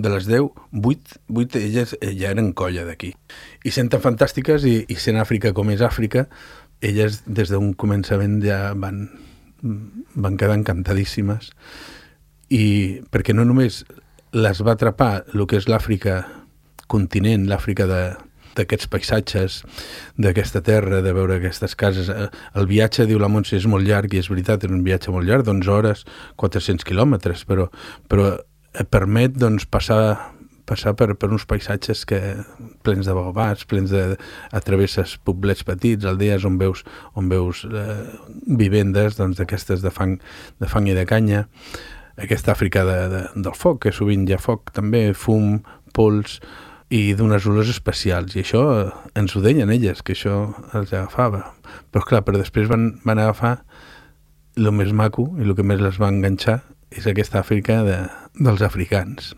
de les 10, 8 elles ja eren colla d'aquí. I sent tan fantàstiques i sent Àfrica com és Àfrica, elles des d'un començament ja van quedar encantadíssimes, i perquè no només les va atrapar el que és l'Àfrica continent, l'Àfrica d'aquests paisatges, d'aquesta terra, de veure aquestes cases. El viatge, diu la Montse, és molt llarg, i és veritat, és un viatge molt llarg, d'11 hores, 400 quilòmetres, però permet doncs, passar per uns paisatges plens de baobabs, plens de... Travesses poblets petits, aldees on veus vivendes d'aquestes de fang i de canya, aquesta Àfrica del foc, que sovint hi ha foc també, fum, pols, i d'unes olors especials, i això ens ho deien elles, que això els agafava. Però després van agafar el més maco, i el que més les va enganxar és aquesta Àfrica dels africans.